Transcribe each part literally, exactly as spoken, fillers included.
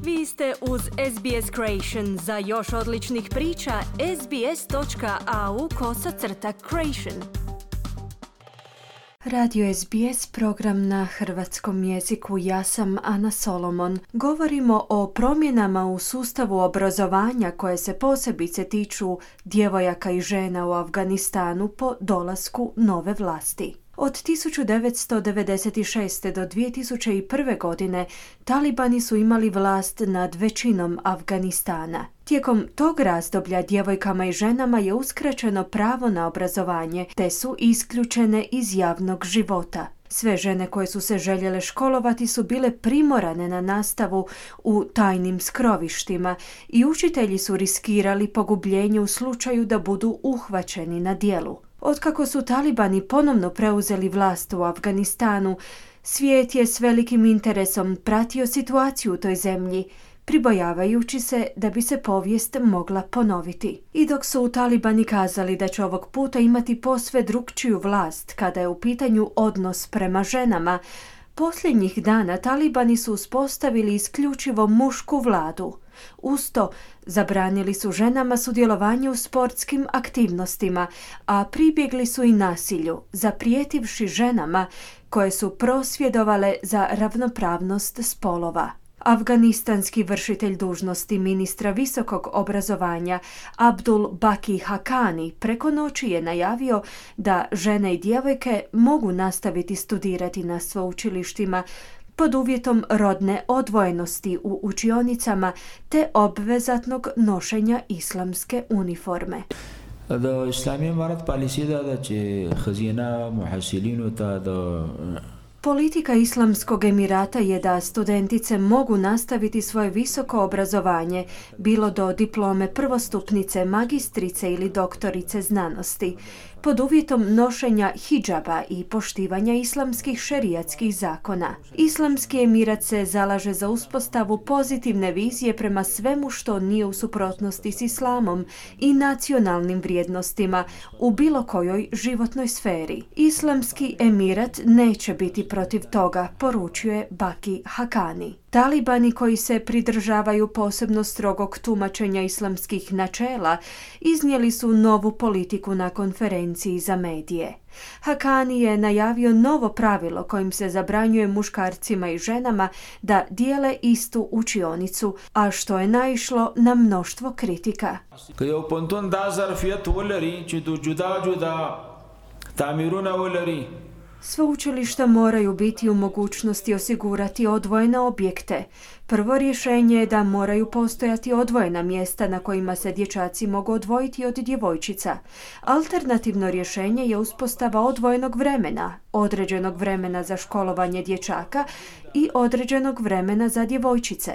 Vi ste uz S B S Creation. Za još odličnih priča, sbs.au kosacrta creation. Radio S B S, program na hrvatskom jeziku. Ja sam Ana Solomon. Govorimo o promjenama u sustavu obrazovanja koje se posebice tiču djevojaka i žena u Afganistanu po dolasku nove vlasti. Od tisuću devetsto devedeset šeste. do dvije tisuće prve. godine talibani su imali vlast nad većinom Afganistana. Tijekom tog razdoblja djevojkama i ženama je uskraćeno pravo na obrazovanje, te su isključene iz javnog života. Sve žene koje su se željele školovati su bile primorane na nastavu u tajnim skrovištima i učitelji su riskirali pogubljenje u slučaju da budu uhvaćeni na djelu. Otkako su talibani ponovno preuzeli vlast u Afganistanu, svijet je s velikim interesom pratio situaciju u toj zemlji, pribojavajući se da bi se povijest mogla ponoviti. I dok su talibani kazali da će ovog puta imati posve drukčiju vlast kada je u pitanju odnos prema ženama, posljednjih dana talibani su uspostavili isključivo mušku vladu. Uz to, zabranili su ženama sudjelovanje u sportskim aktivnostima, a pribjegli su i nasilju, zaprijetivši ženama koje su prosvjedovale za ravnopravnost spolova. Afganistanski vršitelj dužnosti ministra visokog obrazovanja Abdul Baki Haqqani preko noći je najavio da žene i djevojke mogu nastaviti studirati na sveučilištima pod uvjetom rodne odvojenosti u učionicama te obvezatnog nošenja islamske uniforme. د اسلامي امارت پالیسي دا ده چې ښځینه محصلینو ته د Politika Islamskog Emirata je da studentice mogu nastaviti svoje visoko obrazovanje, bilo do diplome prvostupnice, magistrice ili doktorice znanosti, pod uvjetom nošenja hidžaba i poštivanja islamskih šerijatskih zakona. Islamski Emirat se zalaže za uspostavu pozitivne vizije prema svemu što nije u suprotnosti s islamom i nacionalnim vrijednostima u bilo kojoj životnoj sferi. Islamski Emirat neće biti protiv toga, poručuje Baki Haqqani. Talibani koji se pridržavaju posebno strogog tumačenja islamskih načela iznijeli su novu politiku na konferenciji za medije. Haqqani je najavio novo pravilo kojim se zabranjuje muškarcima i ženama da dijele istu učionicu, a što je naišlo na mnoštvo kritika. که یو پوهنتون دا ظرفیت ولري چې د جدا جدا تعمیرونه ولري. Sveučilišta moraju biti u mogućnosti osigurati odvojene objekte. Prvo rješenje je da moraju postojati odvojena mjesta na kojima se dječaci mogu odvojiti od djevojčica. Alternativno rješenje je uspostava odvojenog vremena, određenog vremena za školovanje dječaka i određenog vremena za djevojčice.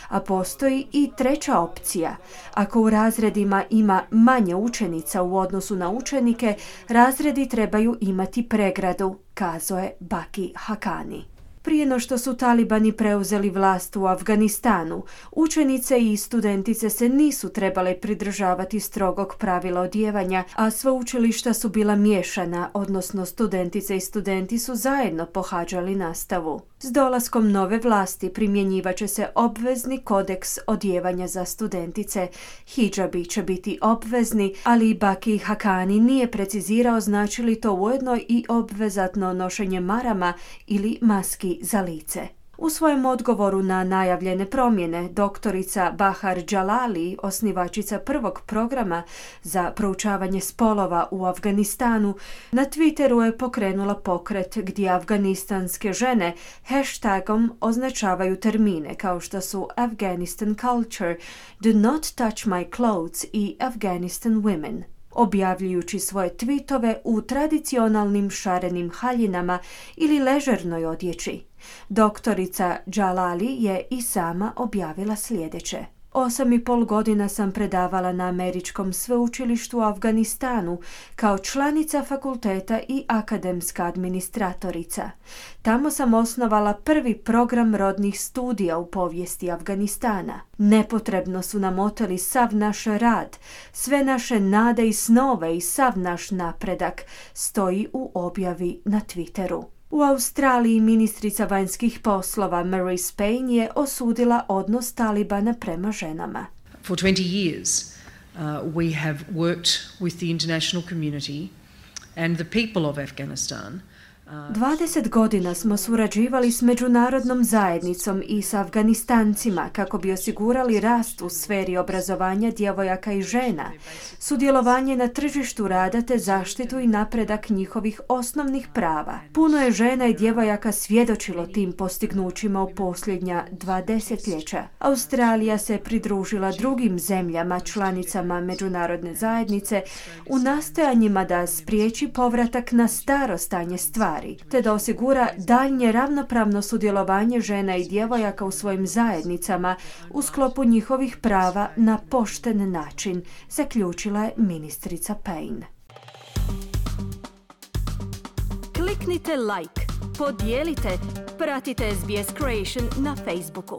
A postoji i treća opcija. Ako u razredima ima manje učenica u odnosu na učenike, razredi trebaju imati pregradu, kazao je Baki Haqqani. Prije no što su talibani preuzeli vlast u Afganistanu, učenice i studentice se nisu trebale pridržavati strogog pravila odijevanja, a sveučilišta su bila miješana, odnosno studentice i studenti su zajedno pohađali nastavu. S dolaskom nove vlasti primjenjivat će se obvezni kodeks odijevanja za studentice. Hidžabi će biti obvezni, ali Baki Haqqani nije precizirao znači li to ujedno i obvezatno nošenje marama ili maski za lice. U svojem odgovoru na najavljene promjene, doktorica Bahar Jalali, osnivačica prvog programa za proučavanje spolova u Afganistanu, na Twitteru je pokrenula pokret gdje afganistanske žene hashtagom označavaju termine kao što su Afghanistan culture, do not touch my clothes i Afghanistan women, objavljujući svoje tweetove u tradicionalnim šarenim haljinama ili ležernoj odjeći. Doktorica Jalali je i sama objavila sljedeće. Osam i pol godina sam predavala na američkom sveučilištu u Afganistanu kao članica fakulteta i akademska administratorica. Tamo sam osnovala prvi program rodnih studija u povijesti Afganistana. Nepotrebno su nam oteli sav naš rad, sve naše nade i snove i sav naš napredak, stoji u objavi na Twitteru. U Australiji ministrica vanjskih poslova Marise Payne je osudila odnos Talibana prema ženama. For twenty years, uh, we have worked with the international community and the people of Afghanistan. dvadeset godina smo surađivali s međunarodnom zajednicom i s Afganistancima kako bi osigurali rast u sferi obrazovanja djevojaka i žena, sudjelovanje na tržištu rada te zaštitu i napredak njihovih osnovnih prava. Puno je žena i djevojaka svjedočilo tim postignućima u posljednja dva desetljeća. Australija se pridružila drugim zemljama članicama međunarodne zajednice u nastojanjima da spriječi povratak na staro stanje stvari, te da osigura daljnje ravnopravno sudjelovanje žena i djevojaka u svojim zajednicama u sklopu njihovih prava na pošten način, zaključila je ministrica Payne. Kliknite like, podijelite, pratite S B S Creation na Facebooku.